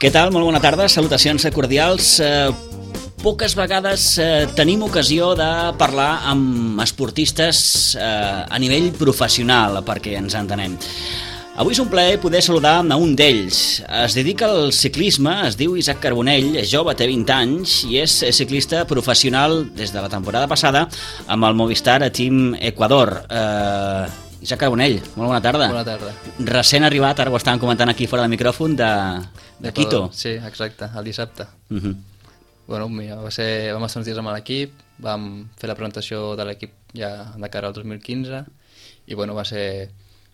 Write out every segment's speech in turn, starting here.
Què tal? Molt bona tarda, salutacions cordials. Poques vegades tenim ocasió de parlar amb esportistes a nivell professional, perquè ens entenem. Avui és un plaer poder saludar a un d'ells. Es dedica al ciclisme, es diu Isaac Carbonell, és jove, té 20 anys i és ciclista professional des de la temporada passada amb el Movistar Team Ecuador. Isaac Carbonell, molt bona tarda. Bona tarda. Recent arribat, ara ho estàvem comentant aquí fora del micròfon, de Quito. Sí, exacte, el dissabte. Bueno, mira, vam estar uns dies amb l'equip, vam fer la presentació de l'equip ja de cara al 2015 i bueno, va ser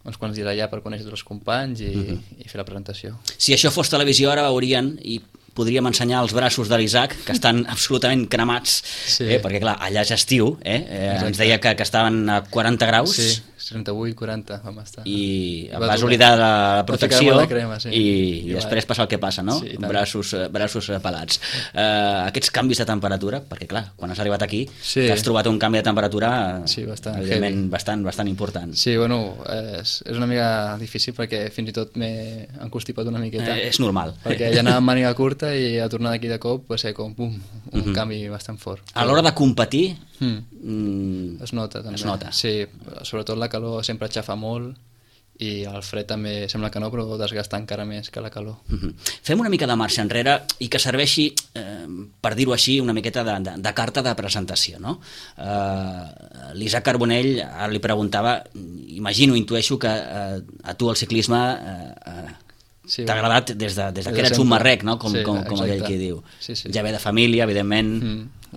uns quants dies allà per conèixer tots els companys i fer la presentació. Si això fos televisió ara veurien i podríem ensenyar els braços de l'Isaac, que estan absolutament cremats, perquè clar, allà és estiu, ens deia que estaven a 40 graus. Sí, 38, 40 vam estar. I vas oblidar la protecció crema, sí. i després passa el que passa, no? Sí, braços pelats. Aquests canvis de temperatura, perquè clar, quan has arribat aquí t'has trobat un canvi de temperatura evidentment bastant important. Sí, bueno, és una mica difícil perquè fins i tot m'he encostipat una miqueta. És normal. Perquè ja anava amb màniga curta i a tornar d'aquí de cop va ser com un canvi bastant fort. A l'hora de competir es nota també. Es nota. Sí, sobretot la calor sempre aixafa molt i el fred també sembla que no, però desgasta encara més que la calor. Fem una mica de marxa enrere i que serveixi, per dir-ho així, una miqueta de carta de presentació, no? L'Isaac Carbonell, ara li preguntava, intueixo que a tu el ciclisme t'ha agradat des que eres un marrec, no? Com aquell qui diu. Ja ve de família, evidentment,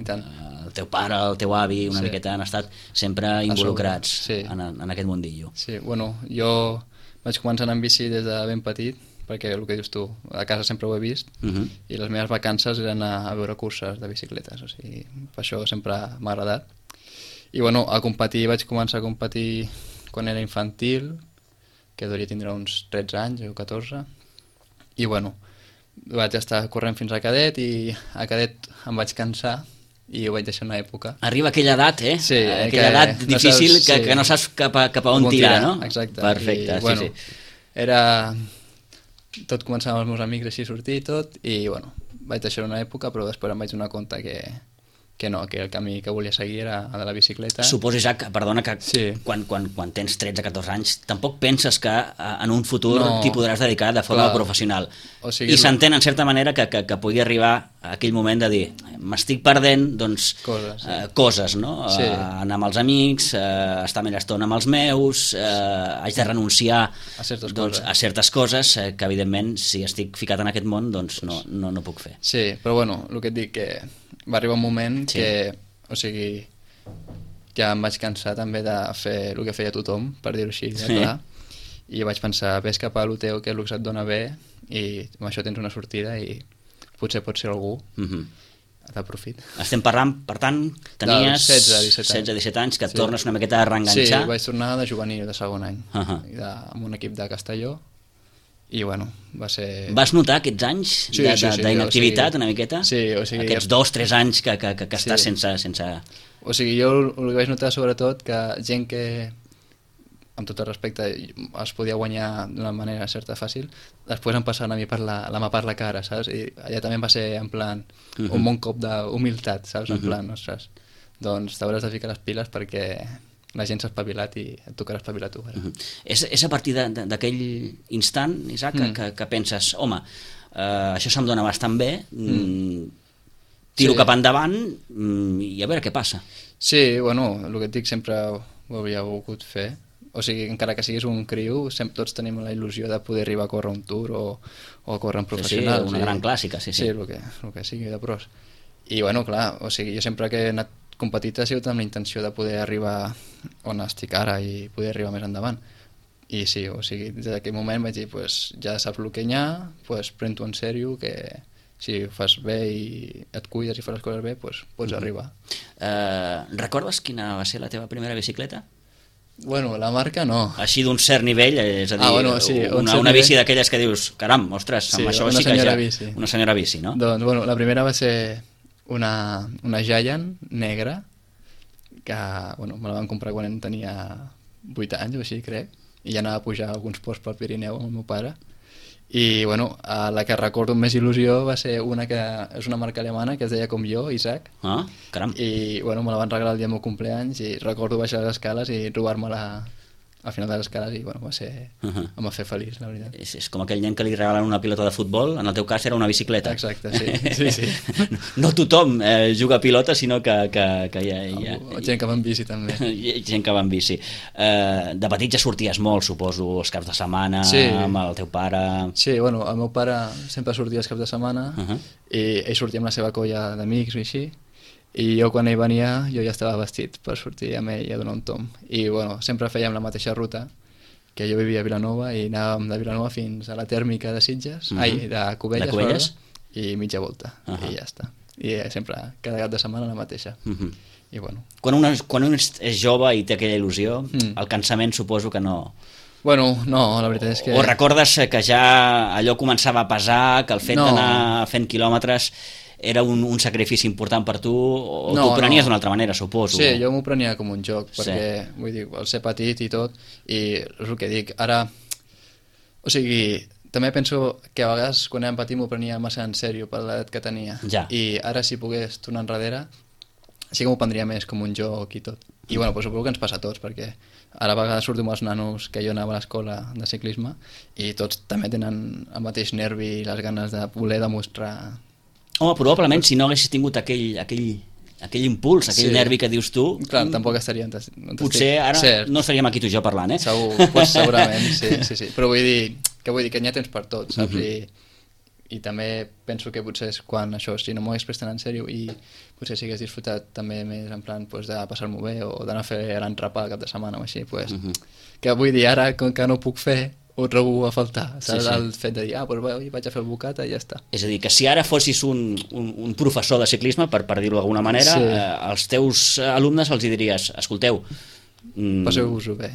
i tant. el teu pare, el teu avi, una miqueta han estat sempre involucrats en aquest mundillo. Sí, bueno, jo vaig començar a anar en bici des de ben petit, perquè el que dius tu, a casa sempre ho he vist, i les meves vacances eren a veure curses de bicicletes, o sigui, per això sempre m'ha agradat. I bueno, vaig començar a competir quan era infantil, que devia tindre uns 13 anys o 14, i bueno, vaig estar corrent fins a cadet i a cadet em vaig cansar i ho vaig deixar una època. Arriba aquella edat, Sí, aquella edat difícil que no saps cap a on tirar, no? Exacte. Perfecte, bueno, tot començava amb els meus amics així a sortir i tot, i bueno, vaig deixar una època, però després em vaig donar compte que el camí que volia seguir era el de la bicicleta. Suposo, Isaac, perdona, que quan tens 13-14 anys tampoc penses que en un futur t'hi podràs dedicar de forma professional. O sigui, i s'entén en certa manera que pugui arribar a aquell moment de dir m'estic perdent coses, no? Anar amb els amics, estar més estona amb els meus, haig de renunciar a certes coses que evidentment si estic ficat en aquest món doncs no puc fer. Sí, però bueno, el que et dic que va arribar un moment que, o sigui, ja em vaig cansar també de fer el que feia tothom, per dir-ho així, clar, i vaig pensar, ves cap a lo teu, que és el que et dona bé, i amb això tens una sortida i potser pot ser algú d'aprofit. Estem parlant, per tant, tenies 16-17 anys, que et tornes una miqueta a reenganxar. Sí, vaig tornar de juvenil, de segon any, amb un equip de Castelló, i bueno, va ser... Vas notar aquests anys d'inactivitat una miqueta? Sí, o sigui... Aquests 2-3 anys que estàs sense... O sigui, jo el que vaig notar sobretot que gent que, amb tot el respecte, es podia guanyar d'una manera certa fàcil, després em passaven a mi per la mà per la cara, saps? I allà també va ser en plan un bon cop d'humilitat, saps? En plan, ostres, doncs t'hauràs de ficar les piles perquè la gent s'ha espavilat i et tocarà espavilar tu. És a partir d'aquell instant, Isaac, que penses, home, això se'm dona bastant bé, tiro cap endavant i a veure què passa. Sí, bueno, el que et dic sempre ho havia volgut fer. O sigui, encara que siguis un criu, tots tenim la il·lusió de poder arribar a córrer un tour o a córrer en professional. Sí, una gran clàssica, sí. Sí, el que sigui de pros. I bueno, clar, o sigui, jo sempre que he anat competit ha sigut amb la intenció de poder arribar on estic ara i poder arribar més endavant. I sí, o sigui, des d'aquell moment vaig dir, pues, ja saps el que hi ha, pues, pren-t'ho en sèrio, que si ho fas bé i et cuides i fas les coses bé, pues, pots arribar. Recordes quina va ser la teva primera bicicleta? Bueno, la marca no. Així d'un cert nivell, és a dir, una bici d'aquelles que dius, caram, ostres, amb això sí que ja... Una senyora bici, no? Doncs, bueno, la primera va ser una Giant negra, que, bueno, me la van comprar quan tenia 8 anys o així, crec, i ja anava a pujar alguns ports pel Pirineu amb el meu pare, I, bueno, la que recordo amb més il·lusió va ser una que és una marca alemana que es deia com jo, Isaac. Ah, caram. I, bueno, me la van regalar el dia del meu cumpleaños i recordo baixar les escales i trobar-me-la al final de les escales i, bueno, va ser... em va fer feliç, la veritat. És com aquell nen que li regalen una pilota de futbol, en el teu cas era una bicicleta. Exacte, sí. No tothom juga a pilota, sinó que hi ha... Gent que va en bici, també. Gent que va en bici. De petit ja sorties molt, suposo, els caps de setmana, amb el teu pare... Sí, bueno, el meu pare sempre sortia els caps de setmana i ell sortia amb la seva colla d'amics i així, i jo quan ell venia jo ja estava vestit per sortir amb ell a donar un tomb i bueno, sempre fèiem la mateixa ruta que jo vivia a Vilanova i anàvem de Vilanova fins a la tèrmica de Sitges de Cubelles, i mitja volta i ja està, i sempre cada cap de setmana la mateixa i bueno. Quan un és jove i té aquella il·lusió el cansament suposo que no... Bueno, no, la veritat és que... O recordes que ja allò començava a pesar, que el fet d'anar fent quilòmetres era un sacrifici important per tu, o t'ho prenies d'una altra manera, suposo? Sí, jo m'ho prenia com un joc, perquè, vull dir, al ser petit i tot, i és el que dic, ara... O sigui, també penso que a vegades quan érem petits m'ho prenia massa en sèrio per l'edat que tenia, i ara si pogués tornar enrere, sí que m'ho prendria més com un joc i tot. I bueno, pues suposo que ens passa a tots, perquè ara a vegades surto amb els nanos que jo anava a l'escola de ciclisme i tots també tenen el mateix nervi i les ganes de voler demostrar... Home, probablement si no haguessis tingut aquell impuls, aquell nervi que dius tu... Clar, tampoc estaria... Potser ara no estaríem aquí tu i jo parlant, Segurament, sí. Però vull dir que n'hi ha temps per tot, saps? I també penso que potser és quan això, si no m'ho hagués prestat en sèrio i potser si hagués disfrutat també més en plan de passar-m'ho bé o d'anar a fer l'entrepà cap de setmana o així, que vull dir, ara com que no ho puc fer ho trobo a faltar, saps? El fet de dir, vaig a fer el bocata i ja està. És a dir, que si ara fossis un professor de ciclisme, per dir-ho d'alguna manera, als teus alumnes els diries, escolteu, passeu-vos-ho bé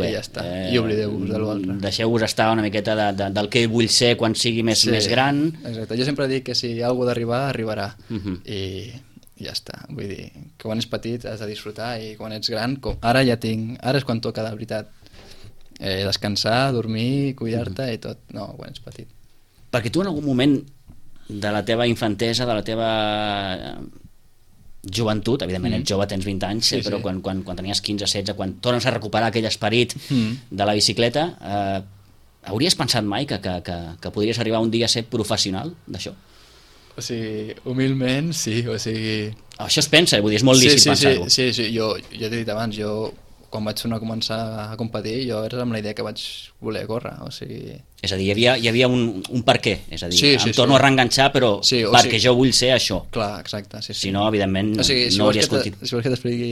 i ja està, i oblideu-vos de l'altre, deixeu-vos estar una miqueta del que vull ser quan sigui més gran. Exacte, jo sempre dic que si hi ha alguna d'arribar, arribarà i ja està, vull dir que quan ets petit has de disfrutar i quan ets gran, ara és quan toca de veritat descansar, dormir, cuidar-te i tot, no, quan ets petit. Perquè tu en algun moment de la teva infantesa, de la teva joventut, evidentment ets jove, tens 20 anys, però quan tenies 15, 16, quan tornes a recuperar aquell esperit de la bicicleta, hauries pensat mai que podries arribar un dia a ser professional d'això? O sigui, humilment, sí, o sigui... Això es pensa, vull dir, és molt lícit pensar-ho. Sí, jo t'he dit abans, quan vaig començar a competir, jo era amb la idea que vaig voler córrer, o sigui... És a dir, hi havia un per què, és a dir, em torno a reenganxar, però perquè jo vull ser això. Clar, exacte, sí. Si no, evidentment, no hauria escoltit. Si vols que t'expliqui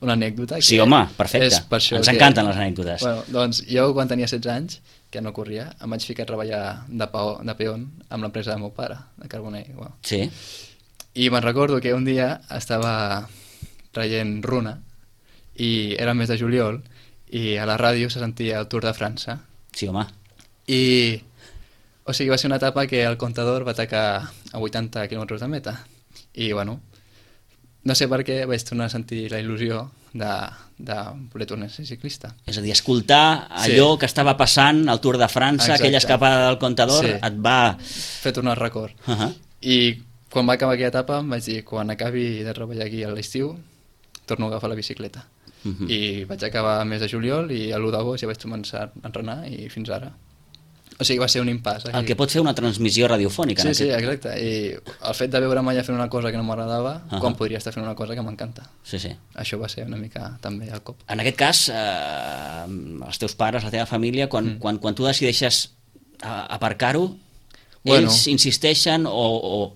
una anècdota... Sí, home, perfecte, ens encanten les anècdotes. Bueno, doncs jo, quan tenia 16 anys, que no corria, em vaig ficar a treballar de peón amb l'empresa del meu pare, de Carbonell. Sí. I me'n recordo que un dia estava traient runa, i era el mes de juliol i a la ràdio se sentia el Tour de França. Sí, home. I, o sigui, va ser una etapa que el comptador va atacar a 80 quilòmetres de meta i, bueno, no sé per què vaig tornar a sentir la il·lusió de voler tornar a ser ciclista. És a dir, escoltar allò que estava passant al Tour de França, aquella escapada del comptador, et va... fer tornar el record. I quan va acabar aquella etapa em vaig dir, quan acabi de treballar aquí a l'estiu, torno a agafar la bicicleta. I vaig acabar el mes de juliol i a l'1 d'agost ja vaig començar a entrenar i fins ara. O sigui, va ser un impàs. El que pot fer una transmissió radiofònica. Sí, exacte. I el fet de veure'm allà fent una cosa que no m'agradava, com podria estar fent una cosa que m'encanta. Sí. Això va ser una mica també el cop. En aquest cas, els teus pares, la teva família, quan tu decideixes aparcar-ho, ells insisteixen o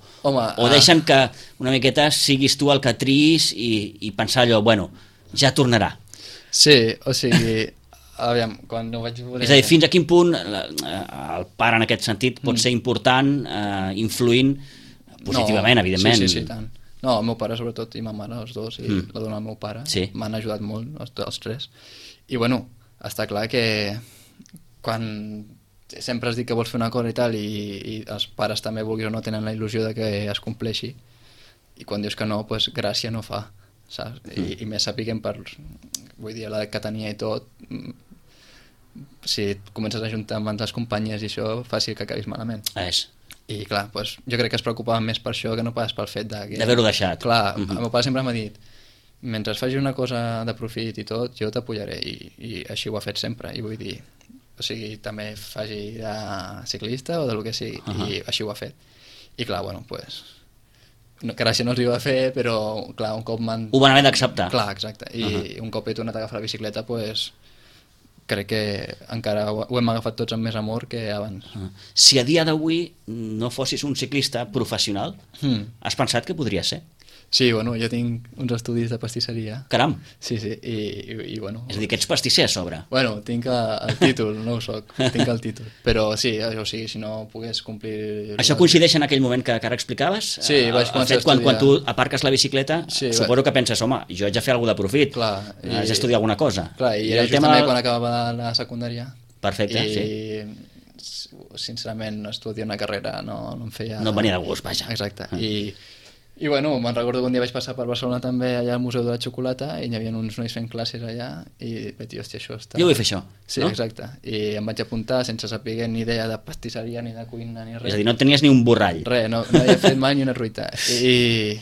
deixen que una miqueta siguis tu el que triïs i pensar allò, bueno, ja tornarà. Sí, o sigui, aviam, quan no vaig voler... És a dir, fins a quin punt el pare en aquest sentit pot ser important, influint positivament, evidentment. Sí, tant. No, el meu pare sobretot i ma mare, els dos, i la dona del meu pare, m'han ajudat molt, els tres. I bueno, està clar que quan sempre has dit que vols fer una cosa i tal, i els pares també, vulguis o no, tenen la il·lusió de que es compleixi, i quan dius que no, doncs gràcia no fa, saps? I més sapiguem vull dir, l'edat que tenia i tot, si et comences a juntar amb altres companyies i això, fàcil que acabis malament. I clar, doncs, jo crec que es preocupaven més per això que no pas pel fet d'haver-ho deixat. Clar, el meu pare sempre m'ha dit, mentre faci una cosa de profit i tot, jo t'apoyaré, i així ho ha fet sempre, i vull dir, o sigui, també faci de ciclista o de lo que sigui, i així ho ha fet. I clar, bueno, doncs, gràcia no els hi va fer, però clar, un cop ho van haver d'acceptar. Clar, exacte, i un cop he tornat a agafar la bicicleta, doncs, crec que encara ho hem agafat tots amb més amor que abans. Si a dia d'avui no fossis un ciclista professional, has pensat que podria ser? Sí, bueno, jo tinc uns estudis de pastisseria. Caram! Sí, i bueno... És a dir, que ets pastisser a sobre. Bueno, tinc el títol, no ho soc, tinc el títol. Però sí, o sigui, si no pogués complir... Això coincideix en aquell moment que ara explicaves? Sí, vaig començar a estudiar. Quan tu aparques la bicicleta, suposo que penses, home, jo haig de fer alguna de profit, haig d'estudiar alguna cosa. Clar, i era justament quan acabava la secundària. Perfecte, sí. I sincerament estudiar una carrera no em feia... No em venia de gust, vaja. Exacte, i bueno, me'n recordo que un dia vaig passar per Barcelona també, allà al Museu de la Xocolata, i hi havia uns nois fent classes allà, i vaig dir, hòstia, això està... Jo vull fer això, sí, no? Exacte, i em vaig apuntar sense saber ni idea de pastisseria, ni de cuina, ni res. És a dir, no tenies ni un borrall. Res, no havia fet mai ni una truita. I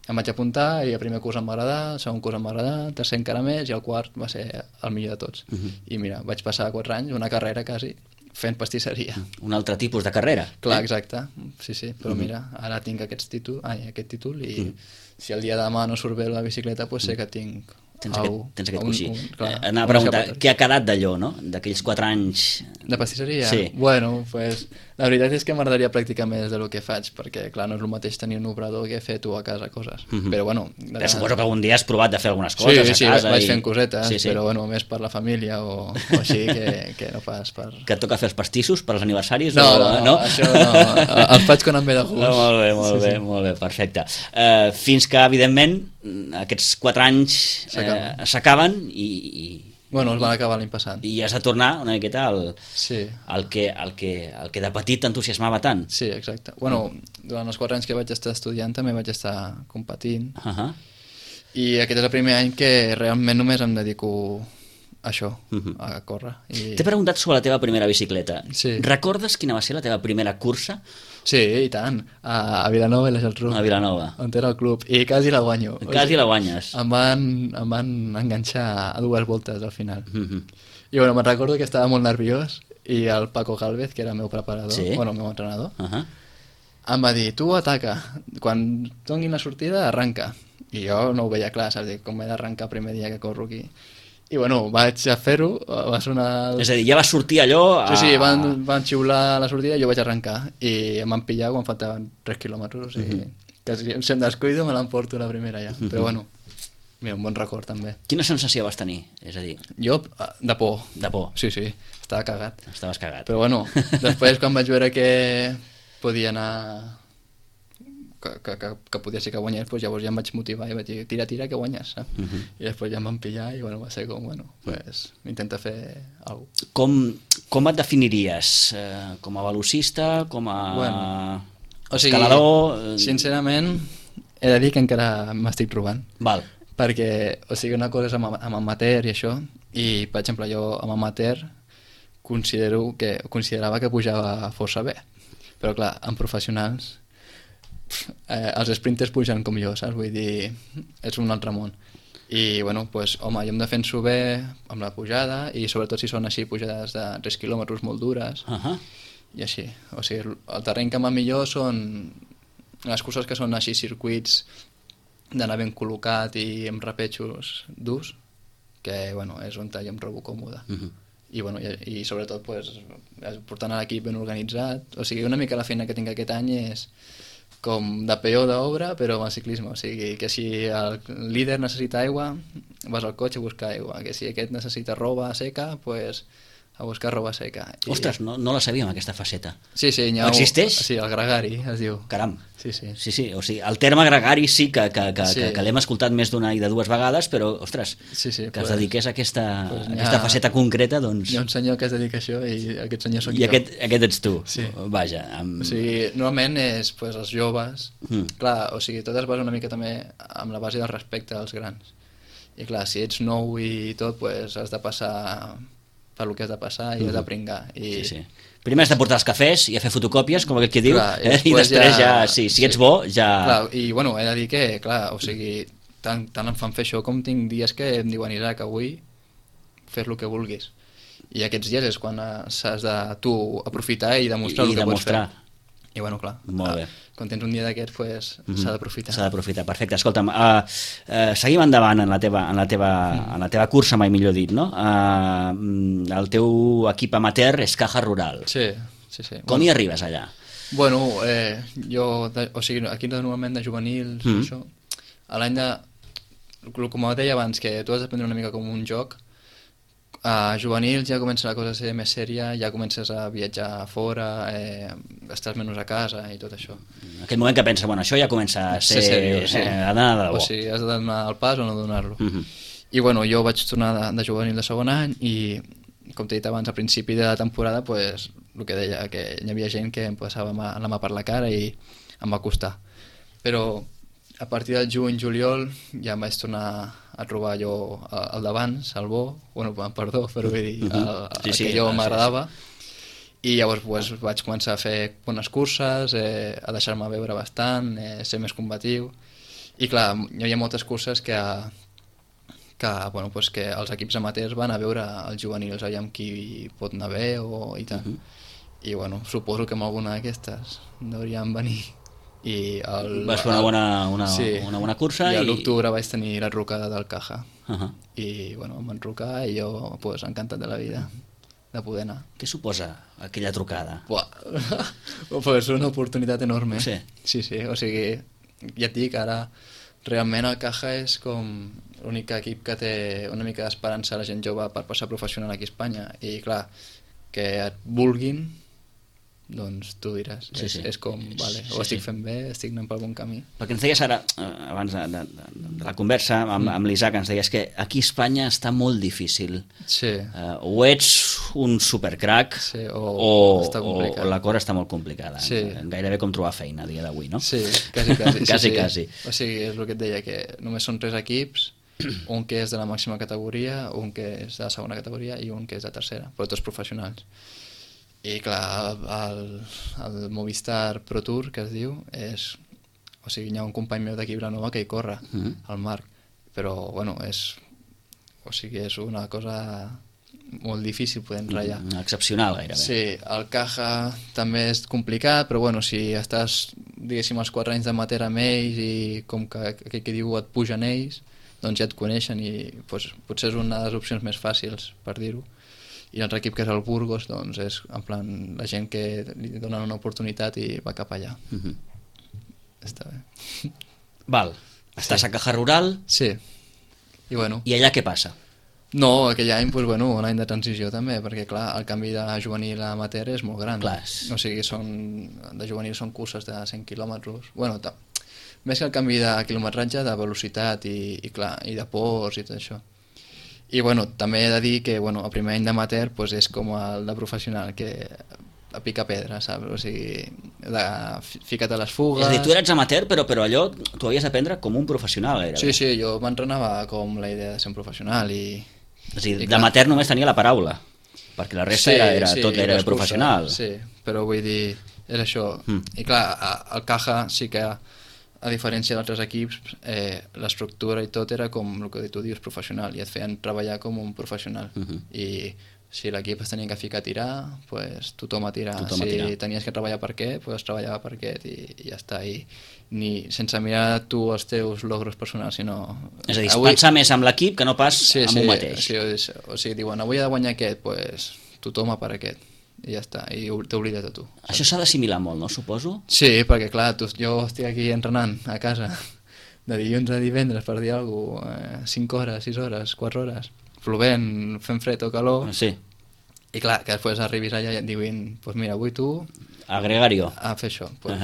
em vaig apuntar, i el primer curs em va agradar, el segon curs em va agradar, el tercer encara més, i el quart va ser el millor de tots. I mira, vaig passar 4 anys, una carrera quasi, fent pastisseria. Un altre tipus de carrera. Clar, exacte, sí, però mira, ara tinc aquest títol i si el dia de demà no surt bé la bicicleta, doncs sé que tinc... Tens aquest coixí. Anava a preguntar, què ha quedat d'allò, no? D'aquells 4 anys... De pastisseria? Sí. Bueno, pues, la veritat és que m'agradaria practicar més del que faig, perquè clar, no és el mateix tenir un obrador que fer tu a casa coses. Però bueno... Però suposo que algun dia has provat de fer algunes coses a casa. Sí, vaig fent cosetes, però bueno, més per la família o així que no pas per... Que et toca fer els pastissos per als aniversaris? No, això no. Els faig quan em ve de gust. Molt bé, perfecte. Fins que, evidentment, aquests 4 anys s'acaben i... Bueno, els van acabar l'any passat. I has de tornar una miqueta al que de petit t'entusiasmava tant. Sí, exacte. Bueno, durant els 4 anys que vaig estar estudiant també vaig estar competint. I aquest és el primer any que realment només em dedico a això, a córrer. T'he preguntat sobre la teva primera bicicleta. Sí. Recordes quina va ser la teva primera cursa? Sí, i tant. A Vilanova i la Geltrú. A Vilanova. On era el club. I quasi la guanyo. Quasi la guanyes. Em van enganxar a 2 voltes al final. I bueno, me'n recordo que estava molt nerviós i el Paco Gálvez, que era el meu preparador, bueno, el meu entrenador, em va dir, tu ataca, quan donin la sortida arranca. I jo no ho veia clar, saps? Com he d'arrencar el primer dia que corro aquí. I bueno, vaig a fer-ho, va sonar... És a dir, ja va sortir allò... Sí, van xiular la sortida i jo vaig arrencar. I em van pillar quan faltaven 3 quilòmetres, o sigui, que si em descuido me l'emporto la primera ja. Però bueno, mira, un bon record també. Quina sensació vas tenir? És a dir... Jo, de por. De por? Sí, estava cagat. Estaves cagat. Però bueno, després quan vaig veure que podia anar... que podia ser que guanyés, doncs llavors ja em vaig motivar i vaig dir, tira, que guanyes, saps? I després ja em van pillar i bueno, va ser com, bueno, pues intenta fer alguna cosa. Com et definiries? Com a velocista? Com a escalador? Sincerament, he de dir que encara m'estic trobant. Val. Perquè, o sigui, una cosa és amb amateur i això, i per exemple jo amb amateur considerava que pujava força bé, però clar, amb professionals els sprinters pugen com jo, saps? Vull dir, és un altre món. I, bueno, doncs, home, jo em defenso bé amb la pujada i sobretot si són així pujades de 3 quilòmetres molt dures i així. O sigui, el terreny que em va millor són les curses que són així circuits d'anar ben col·locat i amb repetxos durs, que, bueno, és on jo em trobo còmode. I, bueno, i sobretot, pues, portant l'equip ben organitzat. O sigui, una mica la feina que tinc aquest any és com de peó d'obra, però amb el ciclisme. O sigui, que si el líder necessita aigua, vas al cotxe a buscar aigua. Que si aquest necessita roba seca, pues a buscar roba seca. Ostres, no la sabíem, aquesta faceta. Sí, existeix? Sí, el gregari es diu. Caram. Sí. O sigui, el terme gregari sí que l'hem escoltat més d'una i de 2 vegades, però, ostres, que es dediqués a aquesta faceta concreta, doncs... Hi ha un senyor que es dedica a això i aquest senyor soc jo. I aquest ets tu. Sí. Vaja. O sigui, normalment és els joves. Clar, o sigui, tot es basa una mica també amb la base del respecte als grans. I clar, si ets nou i tot, has de passar per lo que has de passar i has de pringar. I... Sí. Primer has de portar els cafès i a fer fotocòpies, com aquell que diu, Clar, i després ja, si ets bo, ja... Clar, i bueno, he de dir que, clar, o sigui, tant em fan fer això com tinc dies que em diuen, Isaac, avui fes el que vulguis. I aquests dies és quan s'has de tu aprofitar i demostrar el que pots fer. I bueno, clar, quan tens un dia d'aquests pues, s'ha d'aprofitar. S'ha d'aprofitar, perfecte. Escolta'm, seguim endavant en la teva cursa, mai millor dit, no? El teu equip amateur és Caja Rural. Sí. Com hi arribes allà? Bueno, jo, o sigui, aquí normalment de juvenils, això, a l'any de... Com deia abans, que tu has d'aprendre una mica com un joc, a juvenils ja comença la cosa a ser més sèria, ja comences a viatjar a fora, estàs menys a casa i tot això. En aquell moment que pensa, bueno, això ja comença a ser seriós, sí. Ha d'anar de debò. O sigui, has de donar el pas o no donar-lo. I bueno, jo vaig tornar de juvenil de segon any i, com t'he dit abans, a principi de la temporada, pues, el que deia, que hi havia gent que em passava la mà per la cara i em va costar. Però a partir del juny-juliol ja em vaig tornar a trobar jo el d'abans, el bo, bueno, perdó, però vull dir, el que jo m'agradava, i llavors pues, vaig començar a fer bones curses, a deixar-me veure bastant, ser més combatiu, i clar, hi havia moltes curses que bueno, pues, que els equips amateurs van a veure els juvenils, aviam qui pot anar bé i tant. I bueno, suposo que amb alguna d'aquestes deurien venir. Vas fer una bona cursa i a l'octubre vaig tenir la trucada del Caja i bueno, em van trucar i jo pues, encantat de la vida de poder anar. Què suposa aquella trucada? Pues una oportunitat enorme. Sí, o sigui, ja et dic, ara realment el Caja és com l'únic equip que té una mica d'esperança a la gent jove per passar professional aquí a Espanya, i clar, que et vulguin, doncs tu diràs, és com, vale, ho estic fent bé, estic anant pel bon camí. Perquè ens deies ara, abans de la conversa amb l'Isaac, ens deies que aquí a Espanya està molt difícil. Sí. O ets un supercrac o la cosa està molt complicada. Sí. Gairebé com trobar feina a dia d'avui, no? Sí, quasi. O sigui, és el que et deia, que només són 3 equips, un que és de la màxima categoria, un que és de la segona categoria i un que és de tercera, però tots professionals. I clar, el Movistar Pro Tour, que es diu, és... O sigui, hi ha un company meu d'aquí Vilanova que hi corre, el Marc, però, bueno, és una cosa molt difícil poder enratllar. Excepcional, gairebé. Sí, el Caja també és complicat, però, bueno, si estàs, diguéssim, els 4 anys d'amateur amb ells i com que aquell que diu et pugen ells, doncs ja et coneixen i pues, potser és una de les opcions més fàcils, per dir-ho. I l'altre equip, que és el Burgos, doncs és en plan la gent que li donen una oportunitat i va cap allà. Està bé. Val. Estàs a Caja Rural? Sí. I bueno. I allà què passa? No, aquell any, pues, bueno, un any de transició també, perquè clar, el canvi de juvenil a amateur és molt gran. Clar. O sigui, de juvenil són curses de 100 quilòmetres. Bueno, més que el canvi de quilometratge, de velocitat i de ports i tot això. I bueno, també he de dir que bueno, el primer any d'amateur pues, és com el de professional, que a pica pedra, saps? O sigui, fica't a les fugues... És a dir, tu eres amateur, però allò tu havies d'aprendre com un professional, gairebé. Sí, jo m'entrenava com la idea de ser un professional i... És a dir, d'amateur només tenia la paraula, perquè la resta tot era professional. Sí, però vull dir, és això. I clar, el Caja sí que... A diferència d'altres equips, l'estructura i tot era com el que tu dius, professional, i et feien treballar com un professional. I si l'equip es tenia que ficar a tirar, pues, tothom a tirar. Tenies que treballar per aquest, pues, treballava per aquest i ja està. Sense mirar tu els teus logros personals, sinó... És a dir, pensar més amb l'equip que no pas amb un mateix. O sigui, diuen, avui ha de guanyar aquest, pues, tothom a per aquest. I ja està, i t'oblides de tu. Això s'ha d'assimilar molt, no, suposo? Sí, perquè clar, jo estic aquí entrenant a casa de dilluns a divendres, per dir alguna cosa, 5 hores, 6 hores, 4 hores, plovent, fent fred o calor, sí. I clar, que després arribis allà i et diuen, pues mira, avui tu... A gregario. A fer això. Pues,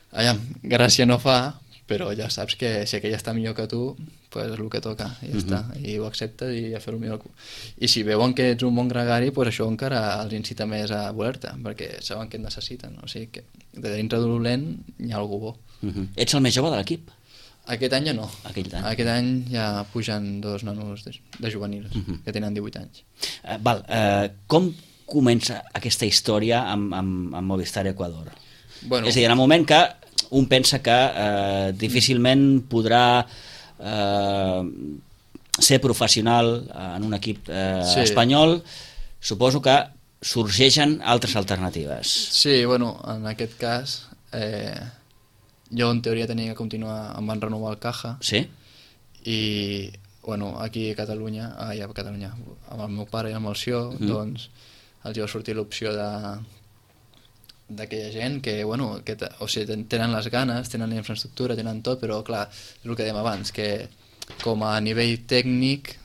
allà, gràcia no fa, però ja saps que si aquell està millor que tu, pues és el que toca, i ja està, i ho acceptes i a fer-ho millor. I si veuen que ets un bon gregari, pues això encara els incita més a voler-te, perquè saben que et necessiten, o sigui que de dintre d'un dolent hi ha algú bo. Ets el més jove de l'equip? Aquest any ja no. Aquest any ja pugen 2 nanos de juvenils que tenen 18 anys. Com comença aquesta història amb Movistar Ecuador? Bueno, és a dir, en el moment que un pensa que difícilment podrà ser professional en un equip espanyol, suposo que sorgeixen altres alternatives. Sí, bueno, en aquest cas jo en teoria tenia que continuar, em van renovar el Caja. Sí? I bueno, aquí a Catalunya, amb el meu pare i amb el Sió, doncs els va sortir l'opció d'aquella gent que, bueno, o sigui, tenen les ganes, tenen la infraestructura, tenen tot, però clar, és el que dèiem abans, que com a nivell tècnic,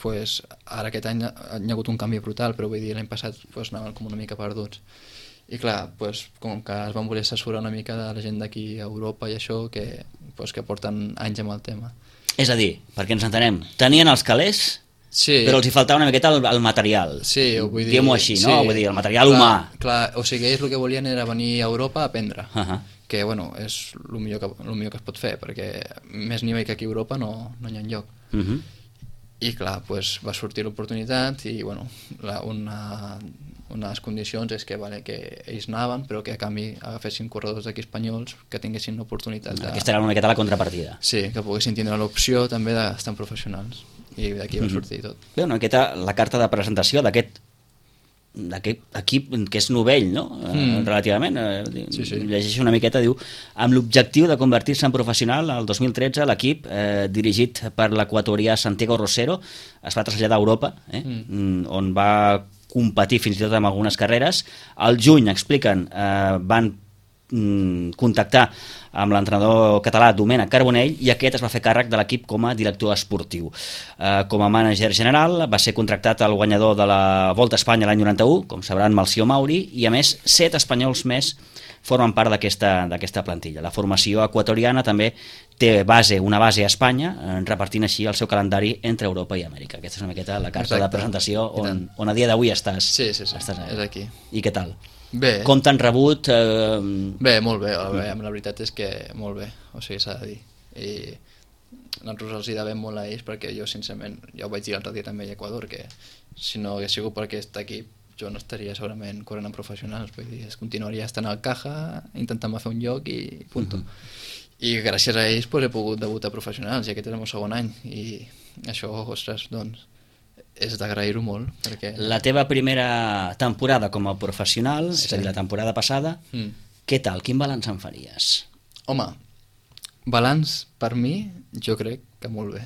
pues, ara aquest any hi ha hagut un canvi brutal, però vull dir, l'any passat pues, anaven com una mica perduts. I clar, pues, com que es van voler assessorar una mica de la gent d'aquí a Europa i això, que porten anys amb el tema. És a dir, perquè ens entenem, tenien els calés, sí, però els hi faltava una miqueta el material. Sí, vull dir... Diguem-ho així, no? Vull dir, el material humà. Clar, o sigui, ells el que volien era venir a Europa a aprendre, que, bueno, és el millor que es pot fer, perquè més nivell que aquí a Europa no hi ha enlloc. I clar, pues, va sortir l'oportunitat i, bueno, unes condicions és que, vale, que ells anaven, però que a canvi agafessin corredors d'aquí espanyols que tinguessin l'oportunitat de... Aquesta era una miqueta la contrapartida. Sí, que poguessin tindre l'opció també d'estar professionals. I d'aquí va sortir tot. Bé, una miqueta la carta de presentació d'aquest equip que és novell, no? Relativament. Sí. Llegeixo una miqueta, diu, amb l'objectiu de convertir-se en professional, el 2013 l'equip, dirigit per l'equatorià Santiago Rosero, es va traslladar a Europa, on va competir fins i tot amb algunes carreres. Al juny, expliquen, van contactar amb l'entrenador català Domènec Carbonell i aquest es va fer càrrec de l'equip com a director esportiu. Com a mànager general va ser contractat el guanyador de la Volta a Espanya l'any 91, com sabran, Melcior Mauri, i a més 7 espanyols més formen part d'aquesta plantilla. La formació equatoriana també té una base a Espanya, repartint així el seu calendari entre Europa i Amèrica. Aquesta és una miqueta la carta de presentació on a dia d'avui estàs. Sí, és aquí. I què tal? Bé. Com t'han rebut? Bé, molt bé. La veritat és que molt bé, o sigui, s'ha de dir. I nosaltres els hi devem molt a ells perquè jo, sincerament, ja ho vaig dir l'altre dia també a Equador, que si no hagués sigut per aquest equip jo no estaria segurament corrent en professionals, vull dir, continuaria estant al Caja, intentant fer un lloc i punt. I gràcies a ells pues, he pogut debutar professionals i aquest és el meu segon any i això, ostres, doncs és d'agrair-ho molt perquè... La teva primera temporada com a professional, és a dir, la temporada passada, què tal? Quin balanç en faries? Home, balanç per mi jo crec que molt bé,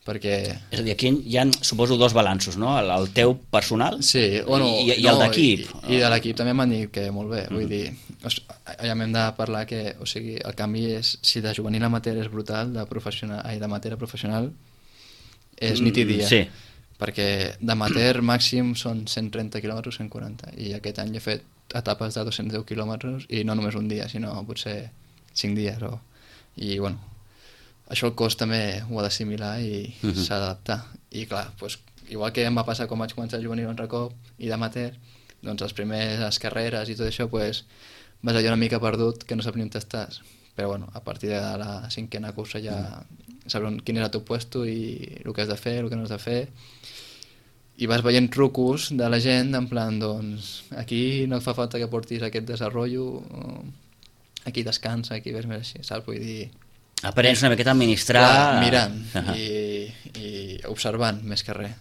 perquè... És a dir, aquí hi ha, suposo, 2 balanços, no? El teu personal i el d'equip. I de l'equip també m'han dit que molt bé, vull dir, ja m'hem de parlar que, o sigui, el canvi és, si de juvenil amateur és brutal, d'amateur a professional és nit i dia. Sí. Perquè d'amateur màxim són 130 quilòmetres, 140, i aquest any he fet etapes de 210 quilòmetres i no només un dia, sinó potser 5 dies. I bueno, això el cos també ho ha d'assimilar i s'ha d'adaptar. I clar, doncs, igual que em va passar quan vaig començar a juvenil un recop i d'amateur, doncs les primeres carreres i tot això, doncs, vas allò una mica perdut que no saps ni on estàs. Però bueno, a partir de la 5a cursa ja sabrem quin és el teu puesto i el que has de fer, el que no has de fer, i vas veient trucos de la gent en plan, doncs aquí no et fa falta que portis aquest desenvolupament, aquí descansa, aquí ves més així, saps? Vull dir... Aprens una miqueta a administrar... Clar, mirant i observant més que res.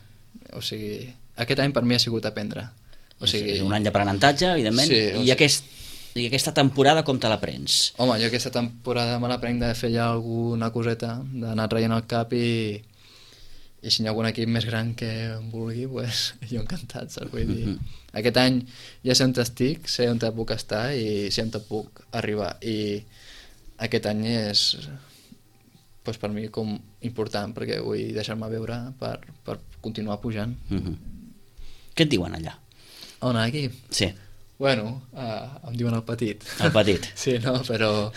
O sigui, aquest any per mi ha sigut aprendre. O sigui... És un any d'aprenentatge, evidentment, i aquesta temporada com te la prens? Home, jo aquesta temporada me la prenc de fer ja alguna coseta, d'anar traient el cap i si hi ha algun equip més gran que em vulgui, pues, jo encantat, saps? Vull dir, aquest any ja sé on estic, sé on puc estar i sé on puc arribar. I aquest any és pues, per mi com important perquè vull deixar-me veure per continuar pujant. Què et diuen allà? On, aquí? Sí. Bueno, em diuen el petit. El petit. Sí, no, però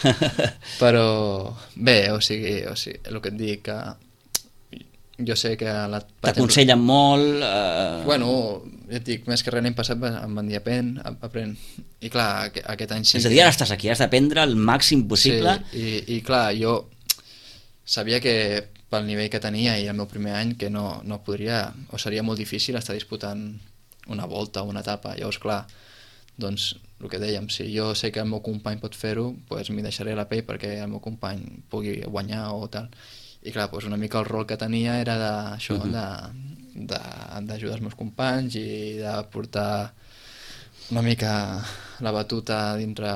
bé, o sigui, el que et dic, que jo sé que... T'aconsellen molt... Bueno, ja et dic, més que res l'any passat em van dir aprèn. I clar, aquest any sí... És a dir, ara estàs aquí, has d'aprendre el màxim possible. Sí, i clar, jo sabia que pel nivell que tenia i el meu primer any que no podria, o seria molt difícil estar disputant una volta o una etapa. Llavors, clar, doncs el que dèiem, si jo sé que el meu company pot fer-ho, doncs m'hi deixaré la pell perquè el meu company pugui guanyar o tal. I clar, doncs una mica el rol que tenia era d'això, d'ajudar els meus companys i de portar una mica la batuta dintre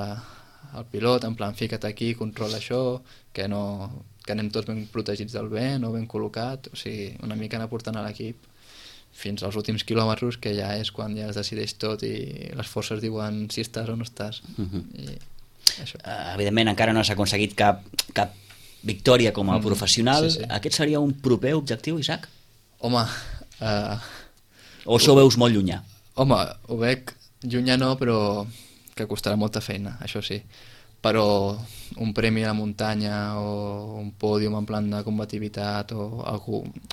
el pilot, en plan, fica't aquí, controla això, que anem tots ben protegits del vent o ben col·locat, o sigui, una mica anar portant a l'equip fins als últims quilòmetres, que ja és quan ja es decideix tot i les forces diuen si estàs o no estàs. I això. Evidentment encara no s'ha aconseguit cap victòria com a professional. Sí. Aquest seria un proper objectiu, Isaac? Home... O això ho veus molt llunyà? Home, ho veig llunyà no, però que costarà molta feina, això sí. Però un premi a la muntanya o un pòdium en plan de combativitat o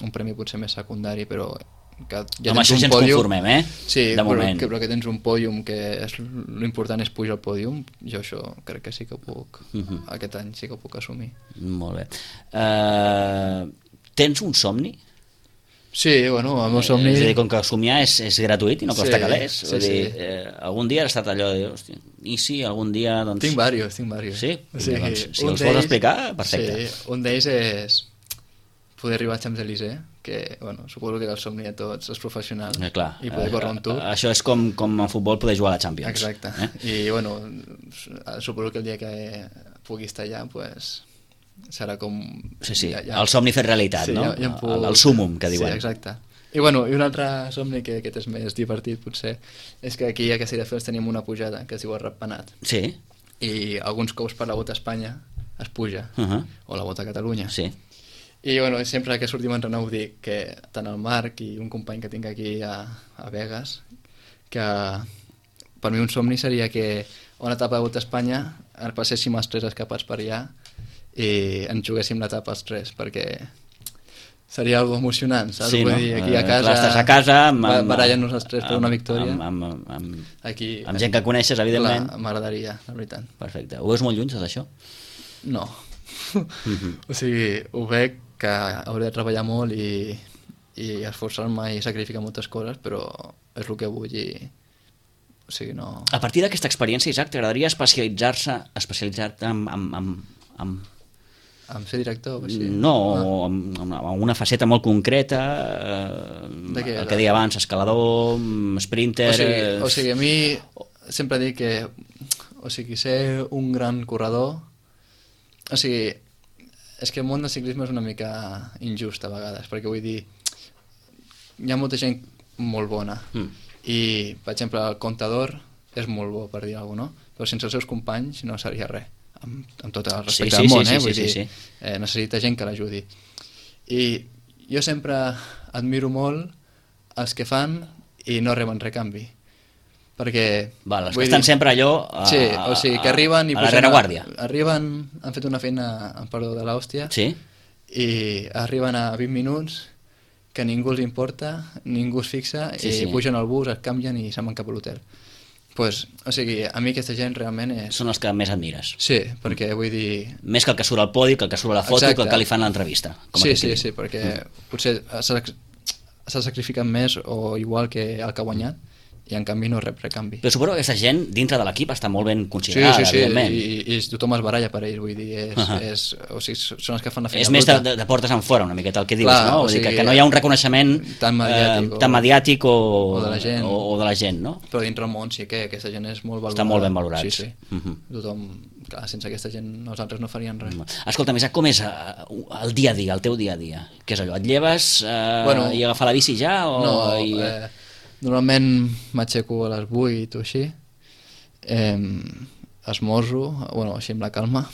un premi potser més secundari, però que ja amb això ja ens conformem, sí, de moment. Però que tens un pòdium, que l'important és pujar al pòdium, jo això crec que sí que ho puc, aquest any sí que ho puc assumir. Molt bé. Tens un somni? Sí, bueno, el meu somni... És a dir, com que somiar és gratuït i no costa calés. Sí. Algun dia has estat allò de dir, hòstia, i sí, algun dia... Doncs... Tinc diversos. Sí? Doncs, si els vols explicar, perfecte. Sí, un d'ells és poder arribar a Champs-Élysées, que, bueno, suposo que és el somni de tots els professionals, clar, i poder córrer un tour. Això és com en futbol poder jugar a la Champions. Exacte. I, bueno, suposo que el dia que pugui estar allà, pues, serà com... Sí, el somni fet realitat, no? Ja puc... El súmum, que diuen. Sí, exacte. I, bueno, i un altre somni, que aquest és més divertit, potser, és que aquí a Castelldefels tenim una pujada que es diu el Ratpenat. Sí. I alguns cops per la Volta a Espanya es puja, o la Volta a Catalunya. Sí. I, bueno, sempre que sortim a entrenar ho dic, que tant el Marc i un company que tinc aquí a Vegas, que per mi un somni seria que a una etapa de Volta a Espanya passéssim els tres escapats per allà i ens juguéssim l'etapa els tres, perquè seria algo emocionant, saps? Sí, no? Dir, aquí a casa, clar, estàs a casa barallant-nos els tres per una victòria. Aquí, amb gent que coneixes, evidentment. M'agradaria, la veritat. Perfecte. Ho veus molt lluny, tot això? No. O sigui, ho veig que hauré de treballar molt i esforçar-me i sacrificar moltes coses, però és el que vull i... O sigui, no... A partir d'aquesta experiència, Isaac, t'agradaria especialitzar-te en ser director? O sigui? No, en una faceta molt concreta, el que deia abans, escalador, sprinter... O sigui, a mi sempre dic que, o sigui, ser un gran corredor, o sigui, és que el món del ciclisme és una mica injust a vegades, perquè vull dir, hi ha molta gent molt bona, i, per exemple, el Contador és molt bo, per dir alguna cosa, no? Però sense els seus companys no seria res, amb tot el respecte del món, vull dir, necessita gent que l'ajudi. I jo sempre admiro molt els que fan i no reben recanvi, perquè... Els que estan sempre allò sí, o sigui, que arriben i a la rereguàrdia. Arriben, han fet una feina, en perdó, de l'hòstia, sí? I arriben a 20 minuts, que ningú els importa, ningú es fixa, i pugen al bus, es canvien i se'n van cap a l'hotel. Pues, o sigui, a mi aquesta gent realment és... Són els que més admires. Sí, perquè vull dir... Més que el que surt al podi, que el que surt a la foto, que el que li fan a l'entrevista. Sí, perquè potser s'ha sacrificat més o igual que el que ha guanyat, i en canvi no rep recanvi. Però suposo que aquesta gent dintre de l'equip està molt ben considerada, evidentment. I tothom es baralla per ells, vull dir, o sigui, són els que fan la feina és més de portes en fora, una miqueta el que dius, no? O sigui, que no hi ha un reconeixement tan mediàtic o de la gent, no? Però dintre el món sí que aquesta gent és molt valorada. Està molt ben valorats. Sí. Tothom, clar, sense aquesta gent nosaltres no faríem res. Escolta'm, Isaac, com és el dia a dia, el teu dia a dia? Què és allò? Et lleves i agafar la bici ja? No, normalment m'aixeco a les 8 o així, esmorzo, bueno, així amb la calma,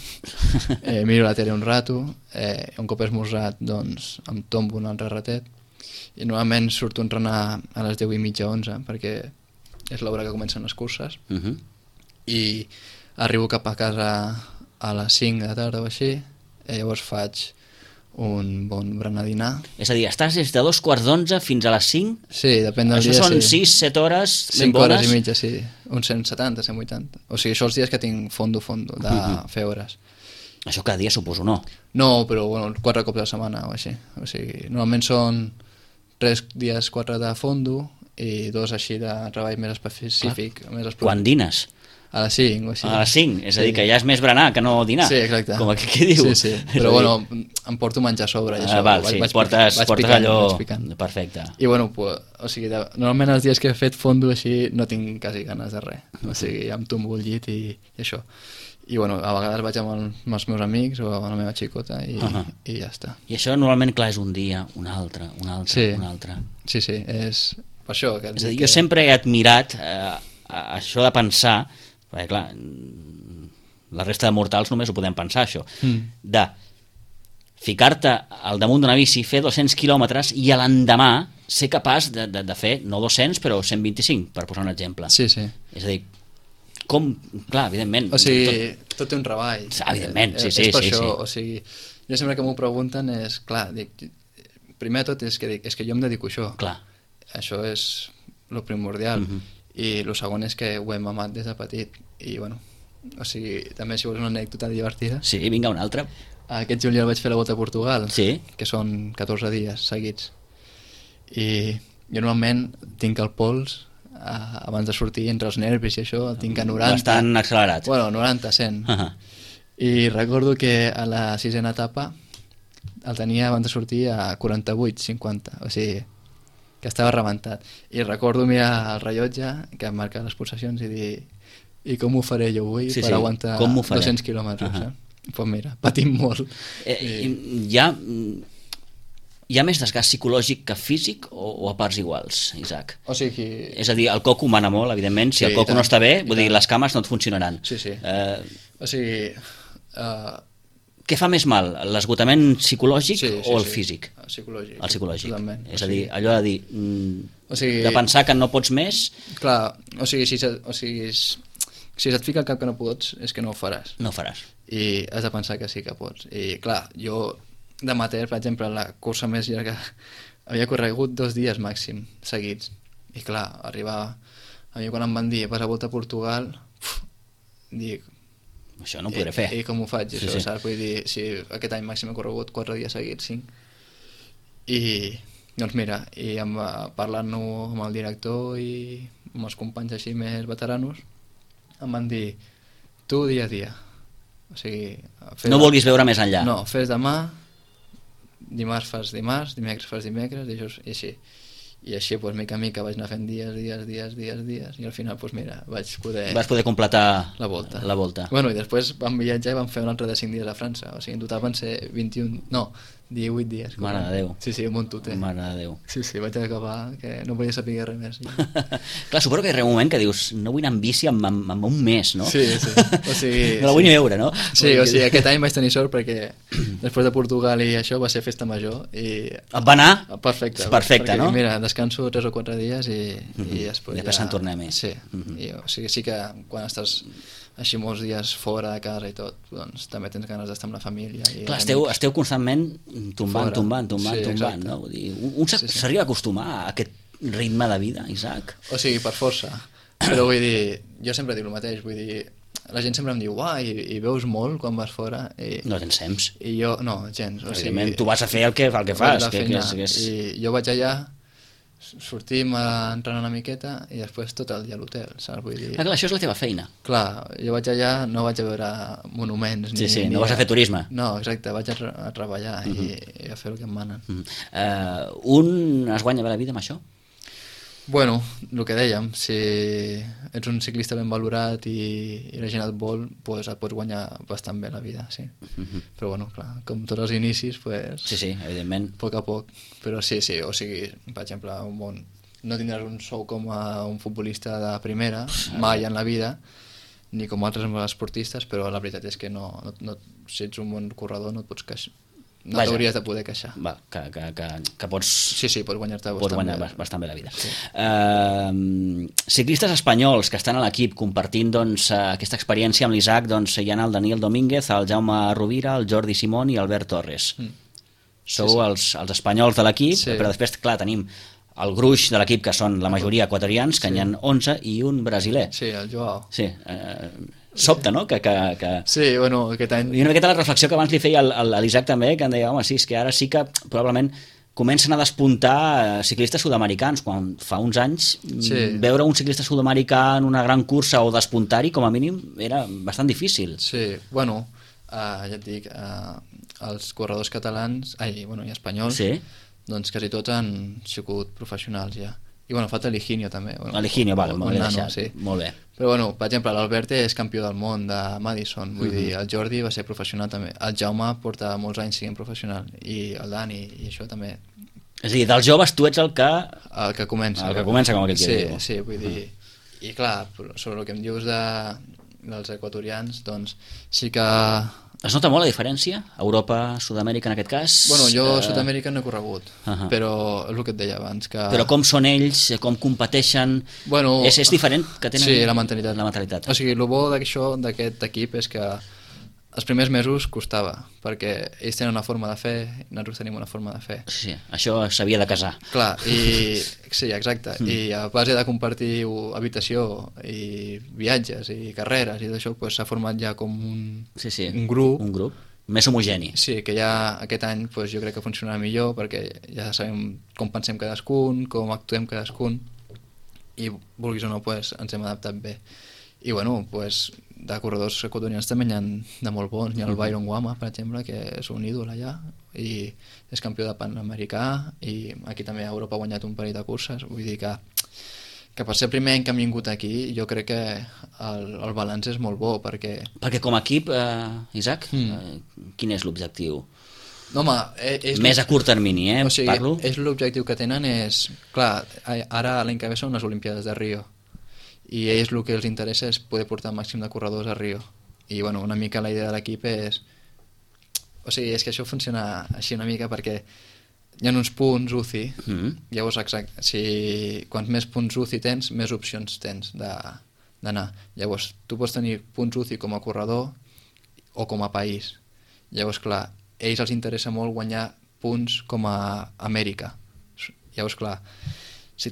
miro la tele un rato, un cop he esmorzat, doncs em tombo un altre ratet, i normalment surto a entrenar a les 10:30, 11, perquè és l'hora que comencen les curses, i arribo cap a casa a les 5 de la tarda o així, llavors faig un bon berenar dinar. És a dir, estàs des de 2:15 fins a les 5? Sí, depèn del dia. Això són 6-7 hores ben bones? 5 hores i mitja, sí. Uns 170, 180. O sigui, això els dies que tinc fondo de fer hores. Això cada dia suposo, no? No, però bueno, 4 cops a la setmana o així. O sigui, normalment són 3 dies, 4 de fondo i 2 així de treball més específic. Quan dines? A les 5 o així. A les 5, és a dir, que ja és més berenar que no dinar. Sí, exacte. Com aquí que diu. Sí, però bueno, em porto menjar a sobre. I això, val, sí, portes allò... Perfecte. I bueno, pues, o sigui, normalment els dies que he fet fondo així no tinc quasi ganes de res. O sigui, em tombo el llit i això. I bueno, a vegades vaig amb els meus amics o amb la meva xicota i ja està. I això normalment, clar, és un dia, un altre, un altre. Sí, és per això. Que és a dir, jo sempre he admirat això de pensar, perquè clar, la resta de mortals només ho podem pensar, això, de ficar-te al damunt d'una bici, fer 200 quilòmetres i a l'endemà ser capaç de fer, no 200, però 125, per posar un exemple. Sí. És a dir, com, clar, evidentment... O sigui, tot té un treball. Evidentment, sí. És per això, o sigui, jo sempre que m'ho pregunten és, clar, dic, primer de tot és que jo em dedico a això. Clar. Això és lo primordial. I el segon és que ho hem amat des de petit. I, bueno, o sigui, també si vols una anècdota divertida... Sí, vinga, una altra. Aquest juliol vaig fer la Volta a Portugal, que són 14 dies seguits. I jo normalment tinc el pols... abans de sortir entre els nervis i això el tinc a 90. Bastant accelerat. Bueno, 90, 100. I recordo que a la 6ª etapa el tenia abans de sortir a 48, 50, o sigui que estava rebentat. I recordo mirar el rellotge que em marca les pulsacions i dir, i com ho faré jo avui per aguantar 200 quilòmetres? Pues mira, patim molt. Hi ha més desgast psicològic que físic o a parts iguals, Isaac? O sigui... És a dir, el coco mana molt, evidentment. Si el coco no està bé, vull dir, les cames no et funcionaran. Sí. O sigui... Què fa més mal, l'esgotament psicològic o el físic? Psicològic. El psicològic. Totalment. És a dir, allò de dir... de pensar que no pots més... Clar, o sigui, si se't fica al cap que no pots, és que no ho faràs. No ho faràs. I has de pensar que sí que pots. I clar, jo... d'amateur, per exemple, la cursa més llarga havia corregut 2 dies màxim seguits, i clar, arribava a mi quan em van dir vas a Volta a Portugal, dic això no ho podré fer. I com ho faig, això, saps? Vull dir, si aquest any màxim he corregut 4 dies seguits, 5, i doncs mira, i parlant-ho amb el director i amb els companys així més veteranos, em van dir tu dia a dia, o sigui, no vulguis veure més enllà. No, fes demà, dimarts fas dimarts, dimecres fas dimecres, i així. I així, doncs, mica a mica vaig anar fent dies, i al final, doncs mira, vas poder completar la volta. Bueno, i després vam viatjar i vam fer un altre de 5 dies a França, o sigui, en total van ser 18 dies. Mare de Déu. Sí, un montoter. Mare de Déu. Sí, vaig acabar que no volia saber res més. Clar, suposo que hi ha un moment que dius no vull anar en bici en un mes, no? Sí. O sigui, no la vull ni veure, no? Sí, o sigui, aquest any vaig tenir sort perquè després de Portugal i això va ser festa major i... Et va anar? Perfecte, perquè, no? Mira, descanso 3 o 4 dies i després se'n torna més. Sí, o sigui, sí que quan estàs així molts dies fora de casa i tot, doncs també tens ganes d'estar amb la família. Clar, esteu constantment tombant, no? Vull dir, un s'arriba a acostumar a aquest ritme de vida, Isaac? O sigui, per força. Però vull dir, jo sempre dic el mateix, vull dir, la gent sempre em diu, i veus molt quan vas fora? No tens temps. I jo, no, gens. Evidentment, tu vas a fer el que fas. I jo vaig allà, sortim a entrenar una miqueta i després tot el dia a l'hotel, saps? Vull dir... Clar, això és la teva feina. Clar, jo vaig allà, no vaig a veure monuments no vas a fer turisme. No, exacte, vaig a treballar i a fer el que em manen. Un es guanya bé la vida amb això? Bueno, el que dèiem, si ets un ciclista ben valorat i la gent et vol, doncs et pots guanyar bastant bé la vida, sí. Però bueno, clar, com tots els inicis, doncs... Sí, evidentment. A poc a poc, però sí, o sigui, per exemple, no tindràs un sou com a un futbolista de primera, mai en la vida, ni com altres esportistes, però la veritat és que si ets un bon corredor no et pots queixar. No t'hauries de poder queixar. Que pots... Sí, pots guanyar-te bastant bé la vida. Sí. Ciclistes espanyols que estan a l'equip compartint aquesta experiència amb l'Isaac, hi ha el Daniel Domínguez, el Jaume Rovira, el Jordi Simón i Albert Torres. Sou els espanyols de l'equip, però després, clar, tenim el gruix de l'equip, que són la majoria equatorians, que n'hi ha 11, i un brasiler. Sí, el Joao. Sí, sobta, no? Sí, bueno, aquest any... I una miqueta la reflexió que abans li feia a l'Isaac també, que em deia, home, sí, és que ara sí que probablement comencen a despuntar ciclistes sud-americans, quan fa uns anys veure un ciclista sud-americà en una gran cursa o despuntar-hi, com a mínim, era bastant difícil. Sí, bueno, ja et dic, els corredors catalans, i espanyols, doncs quasi tots han sigut professionals ja. I bueno, falta l'Higinio també. L'Higinio, vale, molt bé deixat, molt bé. Però bueno, per exemple, l'Albert és campió del món de Madison, vull dir, el Jordi va ser professional també, el Jaume porta molts anys sent professional, i el Dani, i això també. És a dir, dels joves tu ets el que comença. El que comença, com aquell que diu. Sí, vull dir, i clar, sobre el que em dius dels equatorians, doncs sí que... Es nota molt la diferència? Europa, Sud-amèrica en aquest cas? Bueno, jo Sud-amèrica no he corregut, però és el que et deia abans. Però com són ells, com competeixen... Bueno, és diferent que tenen... Sí, la mentalitat. O sigui, el bo d'aquest equip és que els primers mesos costava, perquè ells tenen una forma de fer i nosaltres tenim una forma de fer. Sí, això s'havia de casar. Clar, sí, exacte. I a base de compartir habitació i viatges i carreres i d'això, s'ha format ja com un grup. Un grup més homogeni. Sí, que ja aquest any jo crec que funcionarà millor, perquè ja sabem com pensem cadascun, com actuem cadascun, i vulguis o no, ens hem adaptat bé. I bueno, de corredors equatorians també n'hi ha de molt bons. Hi ha el Byron Guama, per exemple, que és un ídol allà i és campió de Panamericà, i aquí també a Europa ha guanyat un parell de curses. Vull dir que per ser el primer any que hem vingut aquí, jo crec que el balanç és molt bo, perquè com a equip, Isaac, quin és l'objectiu? No, home, més a curt termini, o sigui, parlo? L'objectiu que tenen és... Clar, ara l'any que ve són les Olimpiades de Rio, i a ells el que els interessa és poder portar el màxim de corredors a Rio. I bueno, una mica la idea de l'equip és... O sigui, és que això funciona així una mica perquè hi ha uns punts UCI, llavors quants més punts UCI tens, més opcions tens d'anar. Llavors, tu pots tenir punts UCI com a corredor o com a país. Llavors, clar, a ells els interessa molt guanyar punts com a Amèrica. Llavors, clar, si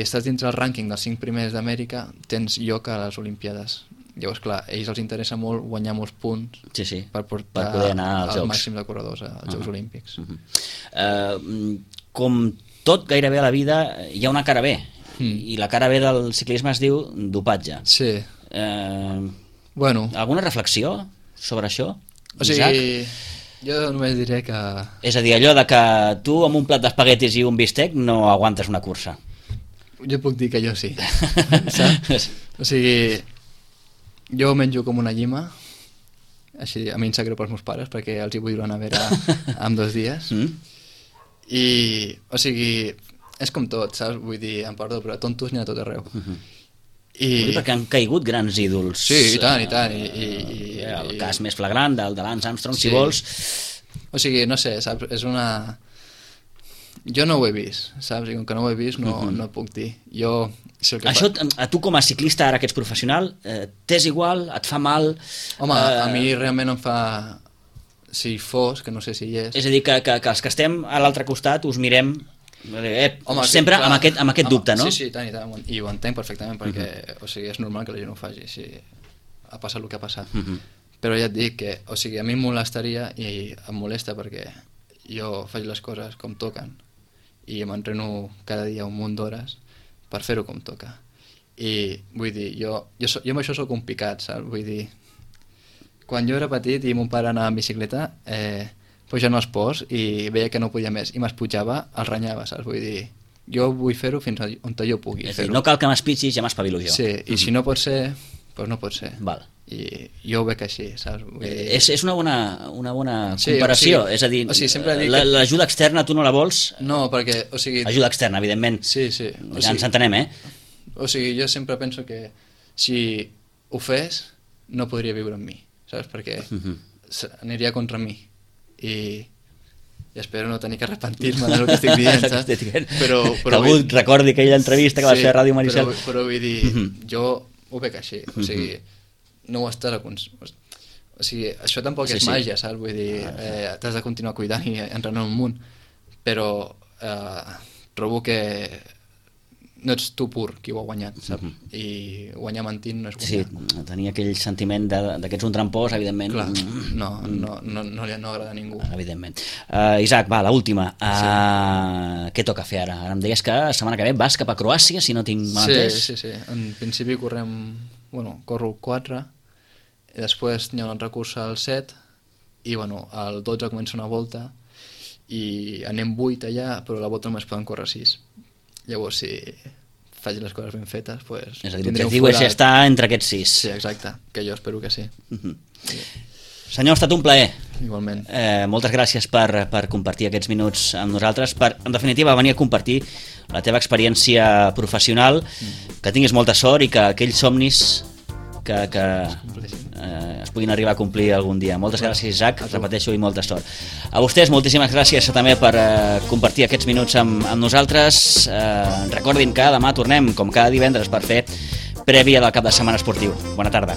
estàs dins del rànquing dels 5 primers d'Amèrica, tens lloc a les Olimpiades. Llavors, clar, a ells els interessa molt guanyar molts punts per poder anar als Jocs. Màxim de corredors als Jocs Olímpics. Com tot gairebé a la vida, hi ha una cara B, i la cara B del ciclisme es diu dopatge. Sí. Alguna reflexió sobre això, Isaac? O sigui, jo només diré que... És a dir, allò de que tu amb un plat d'espaguetis i un bistec no aguantes una cursa. Jo puc dir que jo sí. Saps? O sigui, jo menjo com una llima, així a mi em sap greu pels meus pares perquè els hi vull donar a veure en 2 dies. I, o sigui, és com tot, saps? Vull dir, em perdó, però tontos n'hi ha tot arreu. Perquè han caigut grans ídols. Sí, i tant. I el cas més flagrant del de Lance Armstrong, si vols. O sigui, no sé, saps? És una... Jo no ho he vist, saps? I com que no ho he vist no puc dir. Això, a tu com a ciclista, ara que ets professional, t'és igual? Et fa mal? Home, a mi realment em fa... Si fos, que no sé si hi és... És a dir, que els que estem a l'altre costat us mirem... Home, sempre clar, amb aquest dubte, no? Sí, tant, i ho entenc perfectament perquè o sigui, és normal que la gent ho faci si ha passat el que ha passat. Però ja et dic que o sigui, a mi em molestaria i em molesta perquè jo faig les coses com toquen i m'entreno cada dia un munt d'hores per fer-ho com toca, i vull dir, jo amb això sóc un picat, saps? Vull dir, quan jo era petit i mon pare anava en bicicleta pujant els ports i veia que no podia més i m'esputjava, el renyava, saps? Vull dir, jo vull fer-ho fins on jo pugui fer-ho. No cal que m'espitxis, ja m'espavilo jo. Sí, i si no pot ser, doncs no pot ser. Val. I jo ho veig així, saps? Vull dir... És una bona comparació, sí, és a dir, que... l'ajuda externa tu no la vols? No, perquè, o sigui... Ajuda externa, evidentment. Sí. Ja ens entenem, O sigui, jo sempre penso que si ho fes, no podria viure amb mi, saps? Perquè aniria contra mi. I espero no tenir que arrepentir-me del que estic dient, saps? Però que algú recordi aquella entrevista que va fer a Ràdio Maricel. Però vull dir, jo ho veig així, o sigui, no ho estàs o sigui, això tampoc és màgia, saps? Vull dir, t'has de continuar cuidant i entrenant un munt, però trobo que no ets tu pur qui ho ha guanyat, saps? I guanyar mentint no és guanyar. Sí, tenia aquell sentiment que ets un trampós, evidentment. Clar, no li agrada a ningú. Evidentment. Isaac, va, l'última. Què toca fer ara? Ara em deies que la setmana que ve vas cap a Croàcia, si no tinc mal entès. Sí. En principi corro el 4, i després hi ha una altra cursa al 7, i al 12 comença una volta, i anem 8 allà, però la volta només poden córrer 6. Llavors, si faig les coses ben fetes, doncs... És a dir, l'objectiu és estar entre aquests 6. Sí, exacte, que jo espero que sí. Sí. Senyor, ha estat un plaer. Igualment. Moltes gràcies per compartir aquests minuts amb nosaltres, per, en definitiva, venir a compartir la teva experiència professional, que tinguis molta sort i que aquells somnis que es puguin arribar a complir algun dia. Moltes gràcies, Isaac, repeteixo, i molta sort. A vostès, moltíssimes gràcies també per compartir aquests minuts amb nosaltres. Recordin que demà tornem, com cada divendres, per fer prèvia del cap de setmana esportiu. Bona tarda.